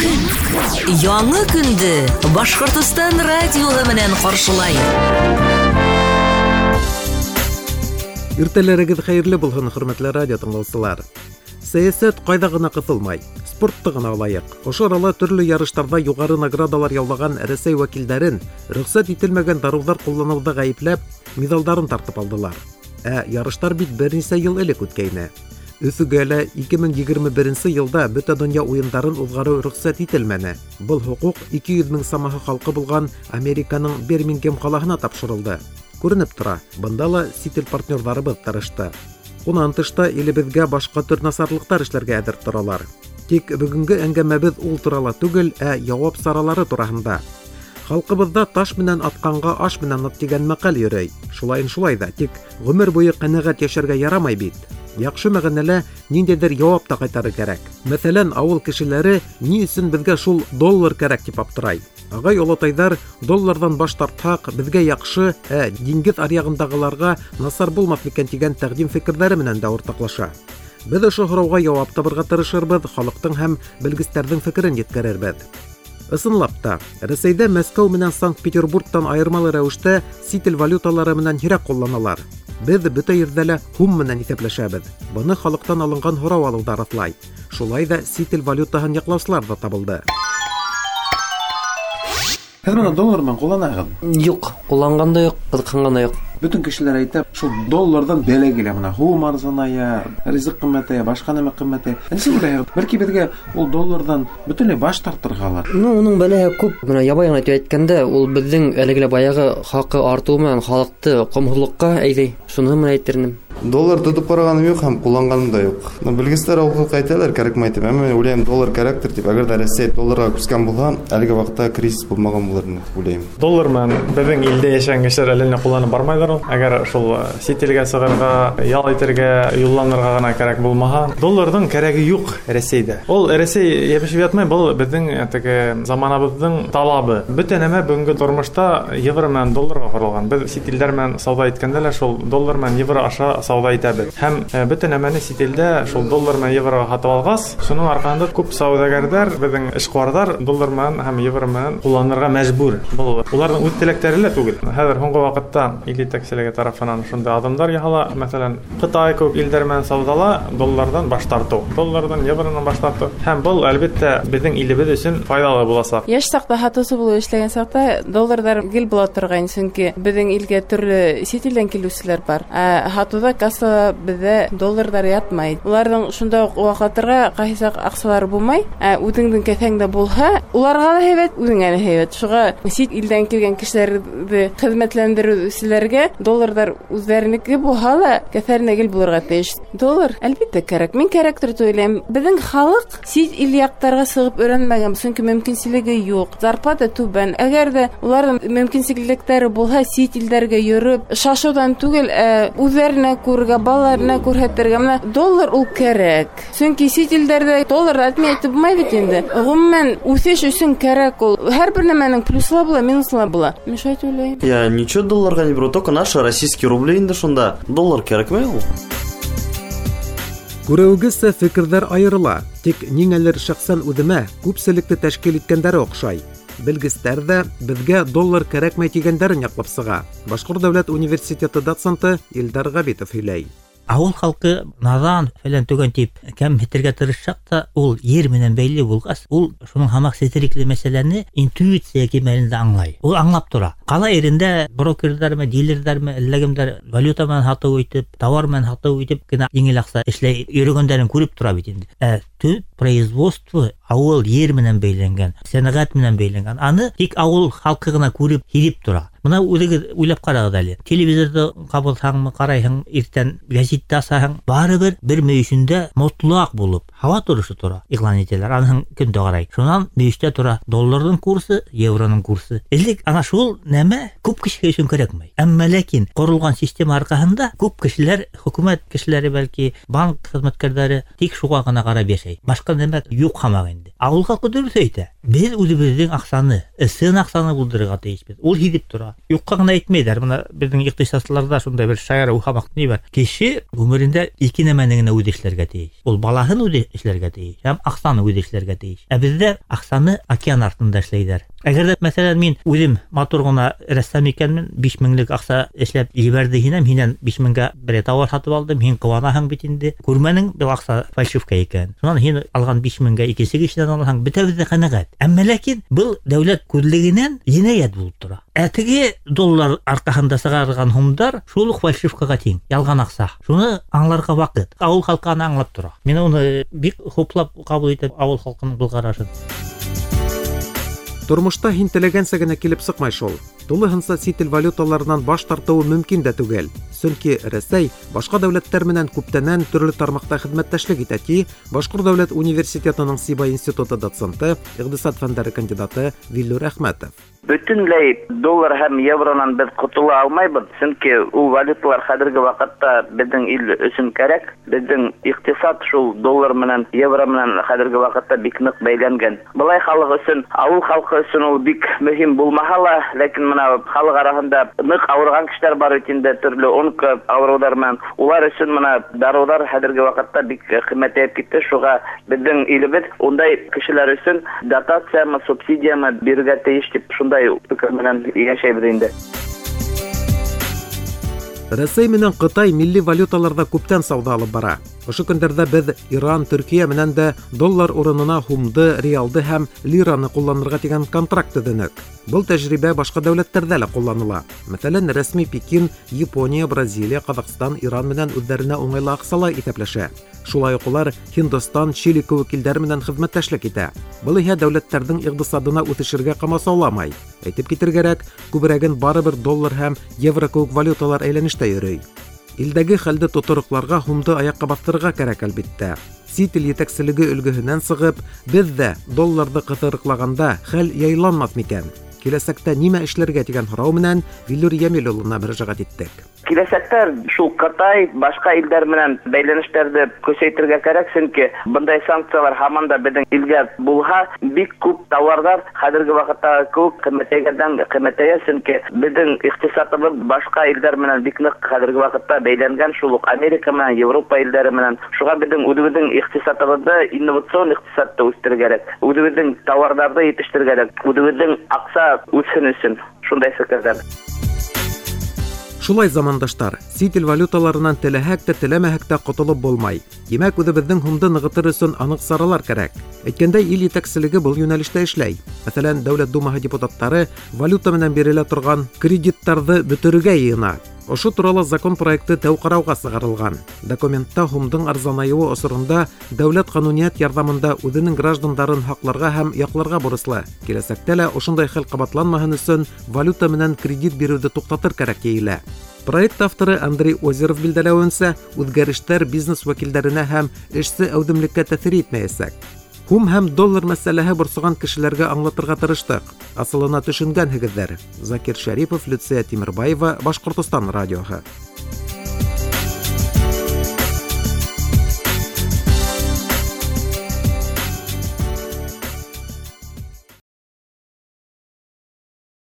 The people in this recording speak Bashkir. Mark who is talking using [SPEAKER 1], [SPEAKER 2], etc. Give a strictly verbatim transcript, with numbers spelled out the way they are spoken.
[SPEAKER 1] Көн. Яңы көндө Башҡортостан радиоһы менән ҡаршылай.
[SPEAKER 2] Иртәләрегеҙ хәйерле булһын, хөрмәтле радио тыңлаусылар. Сәйәсәт ҡайҙа ғына ҡыҫылмай, спортты ғына алайыҡ. Ошо арала төрлө ярыштарҙа юғары наградалар яулаған Рәсәй вәкилдәрен рөхсәт ителмәгән дарыуҙар ҡулланыуҙа ғәйепләп, миҙалдарын тартып алдылар. Ә ярыштар бит бер нисә йыл элек үткәйне. Өфөгә лә ике мең егерме беренсе йылда бөтә донъя уйындарын уҙғарыу рөхсәт ителмәне. Был хоҡуҡ ике йөҙ мең самаһы халҡы булған Американың Бирмингем ҡалаһына тапшырылды. Күренеп тора, бында ла сит ил партнерҙарыбыҙ тырышты. Унан тышта илебеҙгә башҡа төр насарлыҡтар эшләргә әҙер торалар. Тик бөгөнгө әңгәмәбеҙ ул турала түгел, ә яуап саралары тураһында. Халҡыбыҙҙа таш менән атҡанға аш менән ат тигән мәҡәл йөрөй. Шулайын шулай ҙа, тик ғүмер буйы ҡәнәғәт йәшәргә ярамай бит. Яҡшы мәғәнәлә ниндәйҙер яуап та ҡайтарыр кәрәк. Мәҫәлән, ауыл кешеләре ни өсөн беҙгә шул доллар кәрәк тип аптырай. Ағай олатайҙар долларҙан баш тартһаҡ, беҙгә яҡшы, ә диңгеҙ аръяғындағыларға насар булмаҫ микән тигән тәҡдим фекерҙәре менән дә уртаҡлаша. Беҙ ошо һорауға яуап табырға тырышырбыҙ, халыҡтың һәм белгестәрҙең фекерен еткерербеҙ. Ысынлап та, Рәсәйҙә Мәскәү менән Санкт-Петербургтан айырмалы рәүештә сит ил валюталары менән һирәк ҡулланалар. Беҙ бөтә ерҙә лә һум менән иҫәпләшәбеҙ. Быны халыҡтан алынған һорау алыу ҙа раҫлай. Шулай ҙа сит ил валютаһын яҡлаусылар ҙа табылды.
[SPEAKER 3] Һеҙ бына доллар менән ҡулланаһығыҙ?
[SPEAKER 4] Юҡ, ҡулланған да юҡ, ҡыҙыҡһынған да юҡ.
[SPEAKER 3] Бөтөн кешеләр әйтә, шул долларҙан бәлә килә, бына һум арзаная, ризыҡ ҡиммәтәйә, башҡа нәмә ҡиммәтәйә. Нисек уйлайһығыҙ? Бәлки беҙгә ул долларҙан бөтөнләй баш тартырғалыр?
[SPEAKER 4] Ну, уның бәләһе күп. Бына ябай ғына итеп әйткәндә, ул беҙҙең әлеге лә баяғы хаҡы артыуы менән халыҡты ҡомһоҙлоҡҡа әйҙәй. Шуныһы менән әйтер инем.
[SPEAKER 5] Доллар тотоп ҡарағаным юҡ һәм ҡулланғаным да юҡ. Но белгестәр алға әйтәләр, кәрәкмәй тип. Әммә мин уйлайым, доллар кәрәктер тип. Әгәр ҙә Рәсәй долларға күскән булһа, әлеге ваҡытта кризис булмаған булыр ине тип уйлайым.
[SPEAKER 6] Доллар менән беҙҙең илдә йәшәгән кешеләр әллә ни ҡулланып бармайҙар ул. Әгәр шул сит илгә сығырға, ял итергә, юлланырға ғына кәрәк булмаһа, долларҙың кәрәге юҡ Рәсәйҙә. Ул Рәсәй йәбешеп ятмай, был беҙҙең теге заманабыҙҙың талабы. Бөтә нәмә бөгөнгө тормошта евро менән долларға ҡоролған. Беҙ сит илдәр менән сауҙа иткәндә лә шул доллар менән евро аша сауҙа итәбеҙ. Һәм, э, бөтә нәмәне сит илдә шул доллар менән евроға һатып алғас, шуның арҡаһында күп сауҙагәрҙәр, беҙҙең эшҡыуарҙар доллар менән һәм евро менән ҡулланырға мәжбүр. Был уларҙың үҙ теләктәре лә түгел. Хәҙер һуңғы ваҡытта ил етәкселеге тарафынан шундай аҙымдар яһала. Мәҫәлән, Ҡытай кеүек илдәр менән сауҙала долларҙан баш тартыу, долларҙан евронан баш тартыу. Һәм был әлбиттә беҙҙең илебеҙ өсөн файҙалы буласаҡ.
[SPEAKER 7] Йәш саҡта һатыусы булып эшләгән саҡта долларҙар гел була торғайн, сөнки беҙҙең илгә төрлө сит илдән килеүселәр бар. Ә һатыуҙа кассала беҙҙә долларҙар ятмай. Уларҙың шунда уҡ ваҡлатырға ҡайһы саҡ аҡсалары булмай. Ә үҙеңдең кеҫәңдә булһа, уларға ла һәйбәт, үҙеңә лә һәйбәт. Шуға сит илдән килгән кешеләрҙе хеҙмәтләндереүселәргә долларҙар үҙҙәренеке булһа ла кеҫәренә гел булырға тейеш. Доллар әлбиттә кәрәк. Мин кәрәктер тип уйлайым. Беҙҙең халыҡ сит ил яҡтарға сығып өйрәнмәгән, сөнки мөмкинселеге юҡ. Зарплата түбән. Әгәр ҙә уларҙың мөмкинселектәре булһа, сит илдәргә йөрөп, шашыуҙан түгел, ә үҙҙәренә күрергә, балаларына күрһәтергә. Менә доллар ул кәрәк. Сөнки сит илдәрҙә доллар әтмәй әйтеп булмай бит инде. Ғөмүмән, үҫеш өсөн кәрәк ул. Һәр бер нәмәнең плюсы ла була, минусы ла була. Мин шулай тип уйлайым.
[SPEAKER 8] Я ничего долларға не беру, только наши российские рубли инде шунда. Доллар кәрәкмәй ул.
[SPEAKER 2] Күреүегеҙсә, фекерҙәр айырыла. Тик ниңәлер шәхсән үҙемә күпселекте тәшкил иткәндәре оҡшай. Белгестәр ҙә беҙгә доллар кәрәкмәй тигәндәрен яҡлап сыға. Башҡорт дәүләт университеты доценты Илдар Ғәбитов һөйләй.
[SPEAKER 9] Ауыл халҡы наҙан фәлән түгән тип кәмһетергә тырышһаҡ та, ул ер менән бәйле булғас, ул шуның һамаҡ сетерекле мәсьәләне интуиция кимәлендә аңлай. Ул аңлап тора. Ҡала ерендә брокерҙармы, дилерҙармы, әллә кемдәр валюта менән һатыу итеп, товар менән һатыу итеп кенә еңел аҡса эшләй йөрөгәндәрен күреп тора бит инде. Ә төп производство ауыл ер менән бәйләнгән, сәнәғәт менән бәйләнгән. Аны тик ауыл халҡы ғына күреп, һиҙеп тора. Бына үҙегеҙ уйлап ҡарағыҙ әле. Телевизорҙы ҡабыҙһаңмы, ҡарайһың, иртән гәзитте асаһың, барыбер бер мөйөшөндә мотлаҡ булып һауа торошо тора, иғлан итәләр. Аныһын көндә ҡарай. Шунан мөйөштә тора долларҙың курсы, евроның курсы. Элек ана шул нәмә күп кешегә өсөн кәрәкмәй. Әммә ләкин ҡоролған система арҡаһында күп кешеләр, хөкүмәт кешеләре бәлки, банк хеҙмәткәрҙәре тик шуға ғына ҡарап йәшәй. Башҡа нәмә юҡ һамаҡ инде. Ауыл халҡы дөрөҫ әйтә. Беҙ үҙебеҙҙең аҡсаны, ысын аҡсаны булдырырға тейешбеҙ. Ул һиҙеп тора. Юҡҡа ғына әйтмәйҙәр. Бына беҙҙең иҡтисадсыларҙа шундай бер шаяра уһамаҡ ни бар. Кеше ғүмерендә ике нәмәне генә үҙе эшләргә тейеш. Ул балаһын үҙе эшләргә тейеш һәм аҡсаны үҙе эшләргә тейеш. Ә беҙҙә аҡсаны океан артында эшләйҙәр. Әгәр ҙә, мәҫәлән, мин үҙем матур ғына рәссам икәнмен, биш меңлек аҡса эшләп ебәрҙе һинән, һинән биш меңгә бер тауар һатып алдым, һин ҡыуанаһың бит инде. Күрмәнең, был аҡса фальшивка икән. Шунан һин алған биш меңгә икенсе кешенән алһаң, бөтәбеҙ ҙә ҡәнәғәт. Әммә ләкин был дәүләт күҙлегенән енәйәт булып тора. Ә теге доллар арҡаһында сығарылған һумдар шул уҡ фальшивкаға тиң, ялған аҡса. Шуны аңларға ваҡыт. Ауыл халҡы аны аңлап тора. Мин уны бик хуплап ҡабул итәм ауыл халҡының был ҡарашын.
[SPEAKER 2] Тормошта һин теләгәнсә генә килеп сыҡмай шул. Тулыһынса сит ил валюталарынан баш тартыуы мөмкин дә түгел. Сөнки Рәсәй башҡа дәүләттәр менән күптәнән төрлө тармаҡта хеҙмәттәшлек итә, ти Башҡорт дәүләт университетының Сибай институты доценты, иҡтисад фәндәре кандидаты Виллюр Әхмәтов.
[SPEAKER 10] Бөтөнләй доллар һәм евронан беҙ ҡотола алмайбыҙ, сөнки ул валюталар хәҙерге ваҡытта беҙҙең ил өсөн кәрәк. Беҙҙең иҡтисад шул доллар менән евро менән хәҙерге ваҡытта бик ныҡ бәйләнгән. Былай халыҡ өсөн, ауыл халҡы өсөн ул бик мөһим булмаһа ла, ләкин бына халыҡ араһында ныҡ ауырған кешеләр бар бит инде, төрлө онко ауырыуҙар менән. Улар өсөн бына дарыуҙар хәҙерге ваҡытта бик ҡиммәтәйеп китте. Шуға беҙҙең илебеҙ ундай кешеләр өсөн дотациямы, субсидиямы бирергә тейеш тип шундай фекер менән йәшәйбеҙ инде.
[SPEAKER 2] Рәсәй менән Ҡытай милли валюталарҙа күптән сауҙа алып бара. Ошо көндәрҙә беҙ Иран, Төркиә менән дә доллар урынына һумды, реалды һәм лираны ҡулланырға тигән контракт төҙөнөк. Был тәжрибә башҡа дәүләттәрҙә лә ҡулланыла. Мәҫәлән, рәсми Пекин, Япония, Бразилия, Ҡаҙағстан, Иран менән үҙҙәренә уңайлы аҡсала иҫәпләшә. Шулай уҡ улар Һиндостан, Чили кеүек илдәр менән хеҙмәттәшлек итә. Был иһә дәүләттәрҙең иҡтисадына үҫешергә ҡамасауламай. Әйтеп китер кәрәк, күберәген барыбер доллар һәм евро кеүек валюталар әйләнештә йөрөй. Илдәге хәлде тотороҡларға һумды аяҡҡа баҫтырырға кәрәк, әлбиттә. Сит ил етәкселеге өлгөһөнән сығып, беҙ ҙә долларҙы ҡыҫырыҡлағанда хәл яйланмаҫ микән? Киләсәктә нимә эшләргә тигән һорау менән Виллюр Йәмил улына мөрәжәғәт иттек.
[SPEAKER 10] Киләсәктә шул Ҡытай, башҡа илдәр менән бәйләнештәрҙе көсәйтергә кәрәк, сөнки бындай санкциялар һаман да беҙҙең илгә булһа, бик күп тауарҙар хәҙерге ваҡыттағы кеүек ҡиммәтәйгәндән ҡиммәтәйә, сөнки беҙҙең иҡтисадыбыҙ башҡа илдәр менән бик ныҡ хәҙерге ваҡытта бәйләнгән, шул уҡ Америка менән, Европа илдәре менән. Шуға беҙҙең үҙебеҙҙең иҡтисадыбыҙҙы, инновацион иҡтисадты үҫтерергә кәрәк, үҙебеҙҙең тауарҙарҙы етештерергә кәрәк, үҙебеҙҙең аҡса үҫһен өсөн шундай фекерҙәр.
[SPEAKER 2] Шулай, замандаштар, сит ил валюталарынан теләһәк тә теләмәһәк тә ҡотолоп булмай. Тимәк, үҙебеҙҙең һумды нығытыр өсөн аныҡ саралар кәрәк. Әйткәндәй, ил етәкселеге был йүнәлештә эшләй. Мәҫәлән, Дәүләт Думаһы депутаттары валюта менән бирелә торған кредиттарҙы бөтөрөргә йыйына. Ошо турала закон проекты тәү ҡарауға сығарылған. Документта һумдың арзанайыуы осоронда дәүләт ҡануниәт ярҙамында үҙенең граждандарын һаҡларға һәм яҡларға бурыслы. Киләсәктә лә ошондай хәл ҡабатланмаһын өсөн валюта менән кредит биреүҙе туҡтатыр кәрәк тиелә. Проект авторы Андрей Озеров билдәләүенсә, үҙгәрештәр бизнес вәкилдәренә һәм эшсе әүҙемлеккә тәьҫир итмәйәсәк. Һум һәм доллар мәсьәләһе борсоған кешеләргә аңлатырға тырыштыҡ. Асылына төшөнгәнһегеҙҙәр. Закир Шәрипов, Люция Тимербаева, Башҡортостан радиоһы.